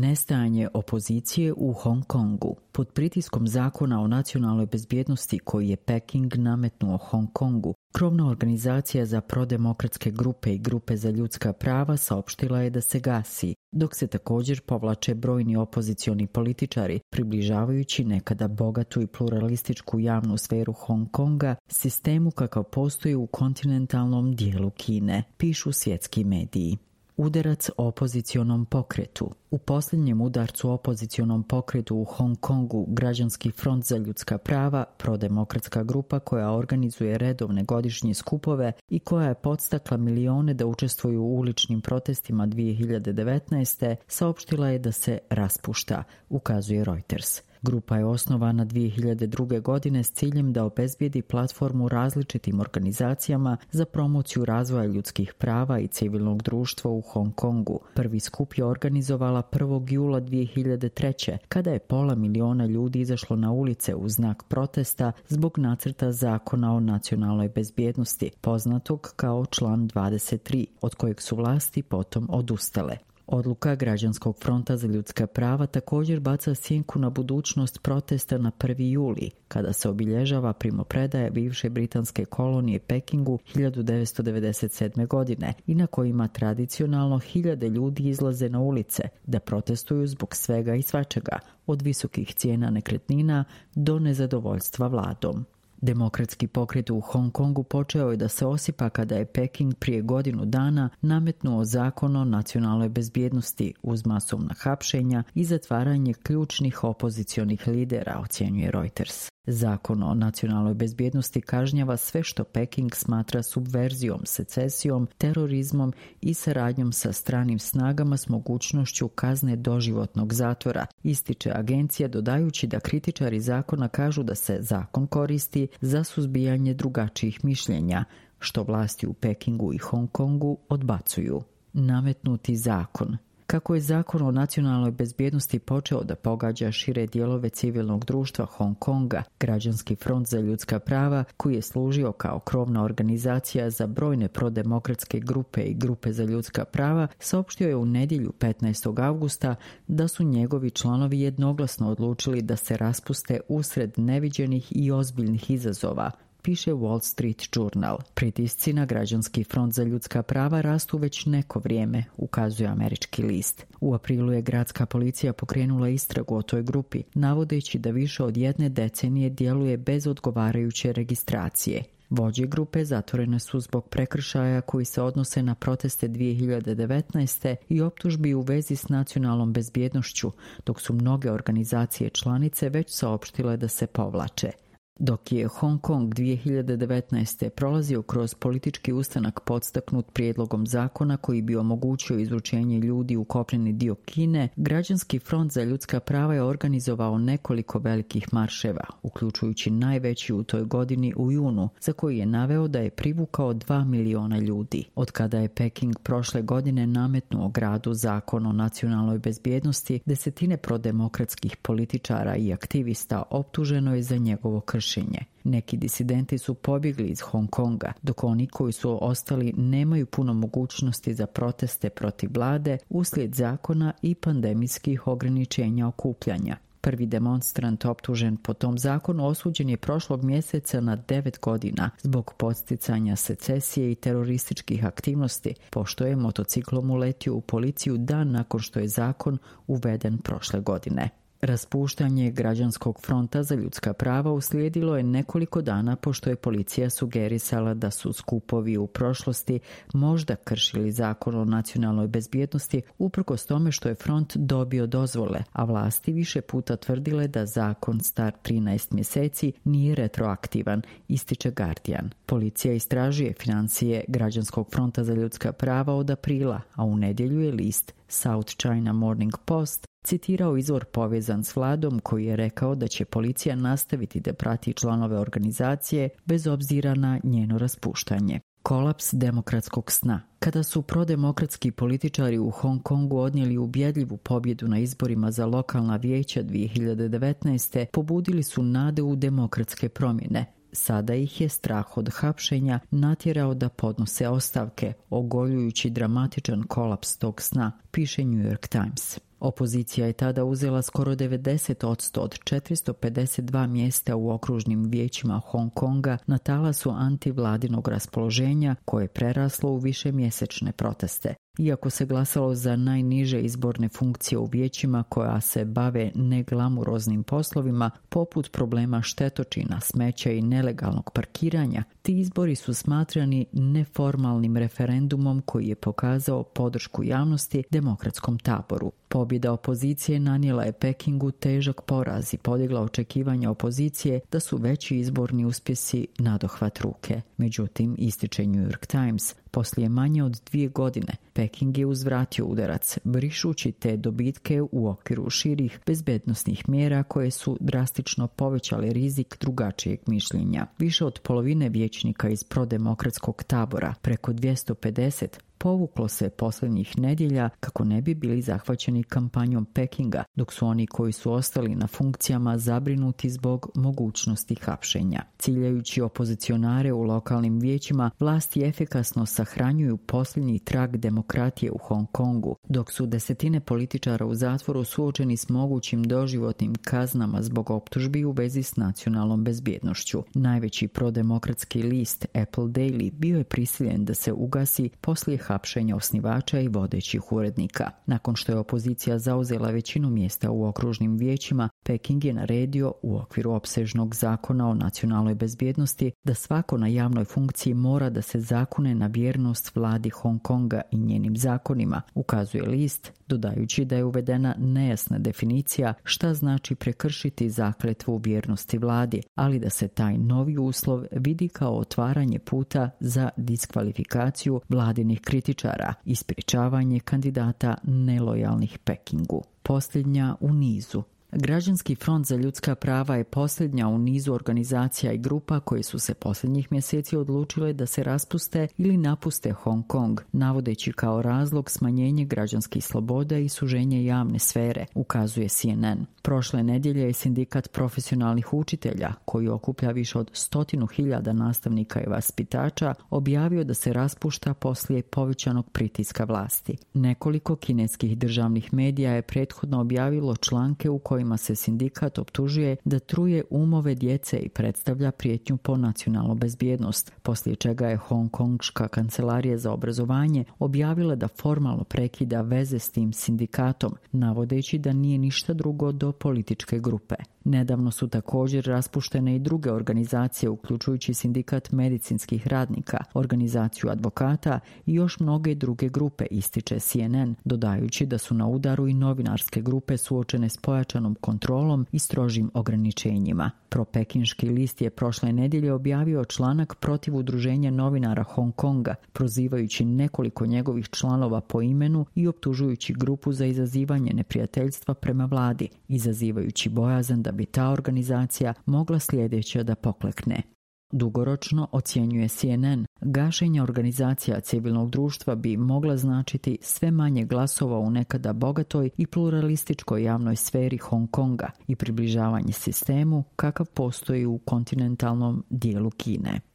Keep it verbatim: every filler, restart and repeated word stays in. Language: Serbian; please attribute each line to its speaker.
Speaker 1: Nestajanje opozicije u Hong Kongu. Pod pritiskom zakona o nacionalnoj bezbjednosti koji je Peking nametnuo Hong Kongu, krovna organizacija za prodemokratske grupe i grupe za ljudska prava saopštila je da se gasi, dok se također povlače brojni opozicioni političari, približavajući nekada bogatu i pluralističku javnu sferu Hong Konga sistemu kakav postoji u kontinentalnom dijelu Kine, pišu svjetski mediji. Udarac opozicionom pokretu. U posljednjem udarcu opozicionom pokretu u Hong Kongu Građanski front za ljudska prava, prodemokratska grupa koja organizuje redovne godišnje skupove i koja je podstakla milione da učestvuju u uličnim protestima dvije hiljade devetnaeste. saopštila je da se raspušta, ukazuje Reuters. Grupa je osnovana dvije hiljade druge. godine s ciljem da obezbijedi platformu različitim organizacijama za promociju razvoja ljudskih prava i civilnog društva u Hong Kongu. Prvi skup je organizovala prvog jula dvije hiljade treće. kada je pola miliona ljudi izašlo na ulice u znak protesta zbog nacrta zakona o nacionalnoj bezbjednosti, poznatog kao član dvadeset tri, od kojeg su vlasti potom odustale. Odluka Građanskog fronta za ljudska prava također baca sjenku na budućnost protesta na prvi juli, kada se obilježava primopredaje bivše britanske kolonije Pekingu hiljadu devetsto devedeset sedme. godine i na kojima tradicionalno hiljade ljudi izlaze na ulice da protestuju zbog svega i svačega, od visokih cijena nekretnina do nezadovoljstva vladom. Demokratski pokret u Hong Kongu počeo je da se osipa kada je Peking prije godinu dana nametnuo zakon o nacionalnoj bezbjednosti uz masovna hapšenja i zatvaranje ključnih opozicionih lidera, ocjenjuje Reuters. Zakon o nacionalnoj bezbjednosti kažnjava sve što Peking smatra subverzijom, secesijom, terorizmom i saradnjom sa stranim snagama s mogućnošću kazne doživotnog zatvora, ističe agencija, dodajući da kritičari zakona kažu da se zakon koristi za suzbijanje drugačijih mišljenja, što vlasti u Pekingu i Hong Kongu odbacuju. Nametnuti zakon. Kako je zakon o nacionalnoj bezbjednosti počeo da pogađa šire dijelove civilnog društva Hong Konga, Građanski front za ljudska prava, koji je služio kao krovna organizacija za brojne prodemokratske grupe i grupe za ljudska prava, saopštio je u nedjelju petnaestog avgusta da su njegovi članovi jednoglasno odlučili da se raspuste usred neviđenih i ozbiljnih izazova, piše Wall Street Journal. Pritisci na Građanski front za ljudska prava rastu već neko vrijeme, ukazuje američki list. U aprilu je gradska policija pokrenula istragu o toj grupi, navodeći da više od jedne decenije djeluje bez odgovarajuće registracije. Vođe grupe zatvorene su zbog prekršaja koji se odnose na proteste dvije hiljade devetnaeste. i optužbi u vezi s nacionalnom bezbjednošću, dok su mnoge organizacije članice već saopštile da se povlače. Dok je Hong Kong dvije hiljade devetnaeste. prolazio kroz politički ustanak podstaknut prijedlogom zakona koji bi omogućio izručenje ljudi u kopneni dio Kine, Građanski front za ljudska prava je organizovao nekoliko velikih marševa, uključujući najveći u toj godini u junu, za koji je naveo da je privukao dva miliona ljudi. Od kada je Peking prošle godine nametnuo gradu zakon o nacionalnoj bezbjednosti, desetine prodemokratskih političara i aktivista optuženo je za njegovo kršenje. Neki disidenti su pobjegli iz Hong Konga, dok oni koji su ostali nemaju puno mogućnosti za proteste protiv vlade uslijed zakona i pandemijskih ograničenja okupljanja. Prvi demonstrant optužen po tom zakonu osuđen je prošlog mjeseca na devet godina zbog podsticanja secesije i terorističkih aktivnosti, pošto je motociklom uletio u policiju dan nakon što je zakon uveden prošle godine. Raspuštanje Građanskog fronta za ljudska prava uslijedilo je nekoliko dana pošto je policija sugerisala da su skupovi u prošlosti možda kršili zakon o nacionalnoj bezbjednosti uprkos tome što je front dobio dozvole, a vlasti više puta tvrdile da zakon star trinaest mjeseci nije retroaktivan, ističe Guardian. Policija istražuje financije Građanskog fronta za ljudska prava od aprila, a u nedjelju je list South China Morning Post citirao izvor povezan s vladom koji je rekao da će policija nastaviti da prati članove organizacije bez obzira na njeno raspuštanje. Kolaps demokratskog sna. Kada su prodemokratski političari u Hong Kongu odnijeli ubjedljivu pobjedu na izborima za lokalna vijeća dvije hiljade devetnaeste. pobudili su nade u demokratske promjene. Sada ih je strah od hapšenja natjerao da podnose ostavke, ogoljujući dramatičan kolaps tog sna, piše New York Times. Opozicija je tada uzela skoro devedeset posto od četiristo pedeset dva mjesta u okružnim vijećima Hong Konga na talasu antivladinog raspoloženja koje je preraslo u višemjesečne proteste. Iako se glasalo za najniže izborne funkcije u vijećima koja se bave neglamuroznim poslovima, poput problema štetočina, smeća i nelegalnog parkiranja, ti izbori su smatrani neformalnim referendumom koji je pokazao podršku javnosti demokratskom taboru. Pobjeda opozicije nanijela je Pekingu težak poraz i podigla očekivanja opozicije da su veći izborni uspjesi nadohvat ruke. Međutim, ističe New York Times, poslije manje od dvije godine Peking je uzvratio udarac, brišući te dobitke u okviru širih bezbednosnih mjera koje su drastično povećale rizik drugačijeg mišljenja. Više od polovine vijećnika iz prodemokratskog tabora, preko dvjesto pedeset, povuklo se posljednjih nedjelja kako ne bi bili zahvaćeni kampanjom Pekinga, dok su oni koji su ostali na funkcijama zabrinuti zbog mogućnosti hapšenja. Ciljajući opozicionare u lokalnim vijećima, vlasti efikasno sahranjuju posljednji trag demokratije u Hong Kongu, dok su desetine političara u zatvoru suočeni s mogućim doživotnim kaznama zbog optužbi u vezi s nacionalnom bezbjednošću. Najveći prodemokratski list Apple Daily bio je prisiljen da se ugasi poslije hapšenja osnivača i vodećih urednika. Nakon što je opozicija zauzela većinu mjesta u okružnim vijećima, Peking je naredio u okviru opsežnog zakona o nacionalnoj bezbjednosti da svako na javnoj funkciji mora da se zakune na vjernost vladi Hong Konga i njenim zakonima, ukazuje list, dodajući da je uvedena nejasna definicija šta znači prekršiti zakletvu vjernosti vladi, ali da se taj novi uslov vidi kao otvaranje puta za diskvalifikaciju vladinih kritičara i sprječavanje kandidata nelojalnih Pekingu. Posljednja u nizu. Građanski front za ljudska prava je posljednja u nizu organizacija i grupa koje su se posljednjih mjeseci odlučile da se raspuste ili napuste Hong Kong, navodeći kao razlog smanjenje građanskih sloboda i suženje javne sfere, ukazuje C N N. Prošle nedjelje je sindikat profesionalnih učitelja, koji okuplja više od stotinu hiljada nastavnika i vaspitača, objavio da se raspušta poslije povećanog pritiska vlasti. Nekoliko kineskih državnih medija je prethodno objavilo članke u kojima se sindikat optužuje da truje umove djece i predstavlja prijetnju po nacionalnu bezbjednost, poslije čega je Hongkongška kancelarija za obrazovanje objavila da formalno prekida veze s tim sindikatom, navodeći da nije ništa drugo do političke grupe. Nedavno su također raspuštene i druge organizacije, uključujući sindikat medicinskih radnika, organizaciju advokata i još mnoge druge grupe, ističe C N N, dodajući da su na udaru i novinarske grupe suočene s pojačanom kontrolom i strožim ograničenjima. Propekinški list je prošle nedjelje objavio članak protiv udruženja novinara Hong Konga, prozivajući nekoliko njegovih članova po imenu i optužujući grupu za izazivanje neprijateljstva prema vladi, izazivajući bojazan da bi ta organizacija mogla sljedeća da poklekne. Dugoročno, ocjenjuje C N N, gašenje organizacija civilnog društva bi mogla značiti sve manje glasova u nekada bogatoj i pluralističkoj javnoj sferi Hong Konga i približavanje sistemu kakav postoji u kontinentalnom dijelu Kine.